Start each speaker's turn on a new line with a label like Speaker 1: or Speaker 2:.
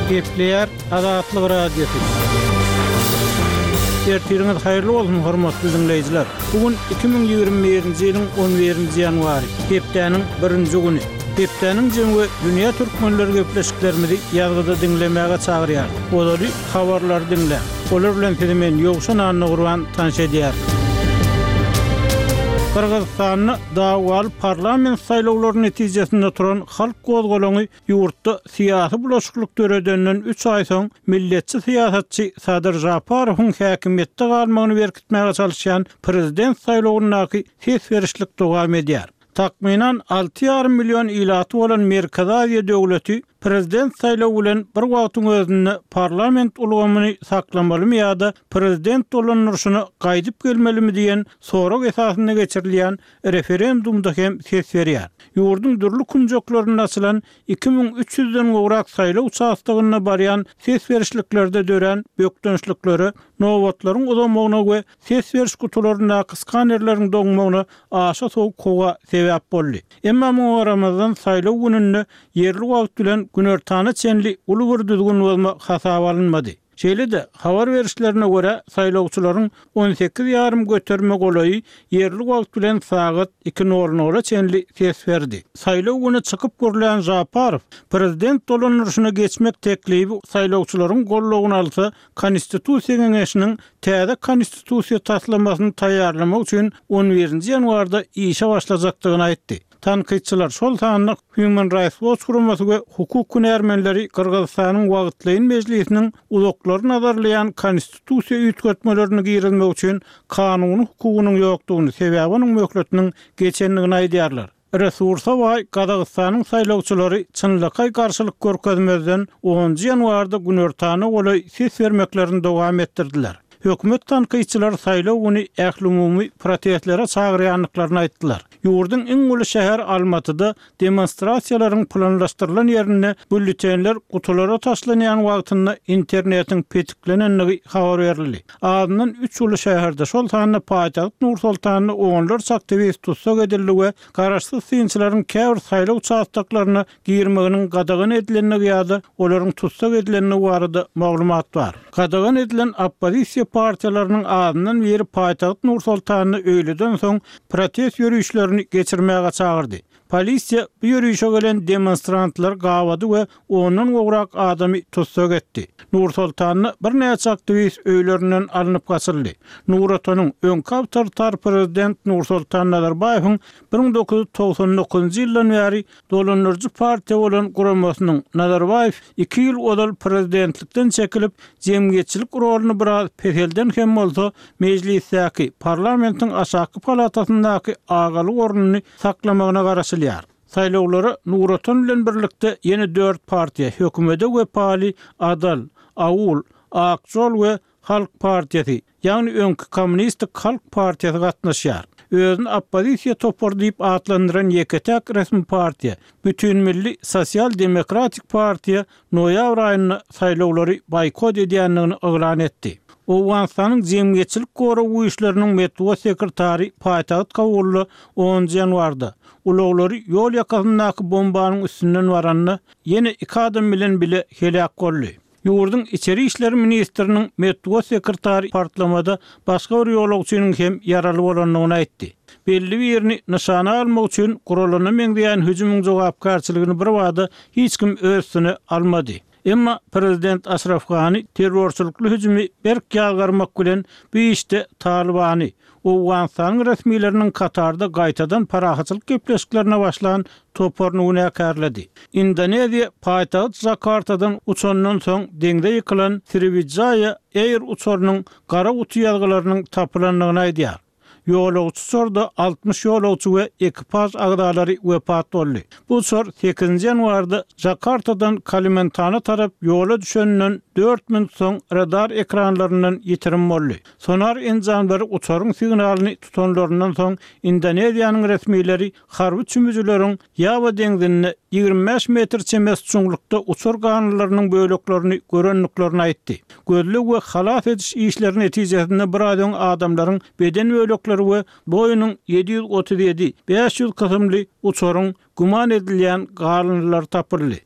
Speaker 1: Gepleýär Azatlyk Radiosy. Ertiriňiz haýyrly bolsun, hormatly diňleýjiler! Bu gün 2021-nji ýylyň on birinji ýanwary, hepdäniň birinji güni. Hepdäniň jemi we dünýä türkmenleri gepleşiklerimizi ýazgyda diňlemäge çagyrýarys. Ozaly habarlary diňläň. Olar bilen sizi men Ýowşan Annagurban tanyş edýärin. Gyrgyzystanda dawaly parlament saýlawlary netijesinde turan halk gozgalaňy ýurtda syýasy bulaşyklyk döredenden üç aý soň milletçi syýasatçy Sadyr Žaparowyň häkimiýetde galmagyny berkitmäge çalyşýan prezident saýlawyndaky ses berişlik dowam edýär. Takmynan 6,5 million ilaty bolan Merkezi Aziýa döwleti prezident saýlawy bilen bir wagtyň özünde parlament ulgamyny saklamalymy ýa-da prezident dolandyryşyna gaýdyp gelmelimi diýen sorag esasynda geçirilýän referendumda hem ses berýär. Ýurduň dürli künjeklerinde açylan 2300 den gowrak saýlaw uçastogynda barýan ses berişliklerde dörän bökdençliklere, nobatlaryň uzamagyna we ses beriş gutularyndaky skanerleriň doňmagyna aşa sowuk howa sebäp boldy. Emma muňa garamazdan, saýlaw gününde ýerli wagt bilen günortana çenli uly bir düzgün bozma hasaba alynmady. Şeýle-de, habar berişlerine görä, saýlawçylaryň 18 ýarym göterime golaýy ýerli wagt bilen sagat iki nol nola çenli ses berdi. Saýlaw güni çykyp gürlän Žaparow, prezident dolandyryşyna geçmek teklibi saýlawçylaryň goldawyny alsa, Konstitusiýa geňeşiniň täze Konstitusiýa taslamasyny taýýarlamak üçin on birinji ýanwarda işe başlajakdygyny aýtdy. Tankytçylar, şol sanda Human Rights Watch guramasy we hukuk hünärmenleri Gyrgyzystanyň wagtlaýyn mejlisiniň uzaklary nazarlaýan konstitusiýa üýtgetmelerini girizmek üçin kanuny hukugynyň ýokdugyny, sebäbi onuň möhletiniň geçendigini aýdýarlar. Resursa baý Gazagystanyň saýlawçylary çynlakaý garşylyk görkezmezden onunjy ýanwarda günortana golaý ses bermeklerini dowam etdirdiler. Hökümet tankytçylary saýlaw güni ählumumy protestlere çagyrýandyklaryny aýtdylar. Ýurduň iň uly şäheri Almatyda demonstrasiýalaryň planlaşdyrylan ýerinde býulletenler gutulara taşlanýan wagtynda internetiň petiklenendigi habar berildi. Azyndan üç uly şäherde, şol sanda paýtagt Nur-Sultanda onlarça aktiwist tussag edildi we garaşsyz synçylaryň käbir saýlaw uçastoklaryna girmeginiň gadagan edilendigi ýa-da olaryň tussag edilendigi barada maglumat bar. Gadagan edilen oppozisiýa partiýalarynyň azyndan biri paýtagt Nur-Sultanda öýleden soň protest ýörişlerini geçirmäge çagyrdy. Polisiýa bu ýörişe gelen demonstrantlary gabady we ondan gowrak adamy tussag etdi. Nur-Sultanda birnäçe aktiwist öýlerinden alnyp gaçyldy. Nur Otanyň öňki awtoritar prezident Nursultan Nazarbaýewiň 1999-njy ýyldan bäri dolandyryjy partiýa bolan guramasynyň Nazarbaýew iki ýyl ozal prezidentlikden çekilip, jemgyýetçilik roluny biraz peselden hem bolsa, mejlisdäki, parlamentiň aşaky palatasyndaky agalyk ornuny saklamagyna garaşylýar. Saýlawlara Nur Otan bilen birlikde ýene dört partiýa, hökümede wepaly Adal, Aul, Ak Žol we Halk partiýasy, ýagny öňki Kommunistik halk partiýasy gatnaşýar. Özüni oppozisiýa topary diýip atlandyran ýeke-täk resmi partiýa, Bütinmilli sosial-demokratik partiýa noýabr aýynda saýlawlary boýkot edýändigini yglan etdi. Owganystanyň Jemgyýetçilik gorag güýçleriniň metbugat sekretary paýtagt Kabulda onunjy ýanwarda, ulaglary ýol ýakasyndaky bombanyň üstünden baranda, ýene iki adam bilen bile heläk boldy. Ýurduň içeri işler ministriniň metbugat sekretary partlamada başga bir ýolagçynyň hem ýaraly bolandygyny aýtdy. Belli birini nyşana almak üçin guralana meňzeýän hüjümiň jogapkärçiligini birbada hiç kim öz üstüne almady. Emma prezident Aşraf Gani terrorçylykly hüjümi berk ýazgarmak bilen bu işde Talybany, Owganystanyň resmileriniň Katarda gaýtadan parahatçylyk gepleşiklerine başlan toparyny günäkärledi. Indoneziýa paýtagt Jakartadan uçandan soň deňze ýykylan Sriwijaya Air uçarynyň gara guty ýazgylarynyň tapylandygyny aýdýar. Ýolagçy uçarda 60 ýolagçy we ekipaž agzalary wepat boldy. Bu uçar sekizinji ýanwarda Jakartadan Kalimentana tarap ýola düşeninden dört minut soň radar ekranlaryndan ýitirim boldy. Sonar enjamlary uçaryň signalyny tutanlaryndan soň Indoneziýanyň resmileri harby çümüjileriň Ýawa deňzinde 25 metr çemesi çuňlukda uçar galyndylarynyň böleklerini görendiklerini aýtdy. Gözleg we halas ediş işleri netijesinde biraz öň adamlaryň beden bölekleri we Boeing 737, 500 kysymly uçaryň güman edilýän galyndylary tapyldy.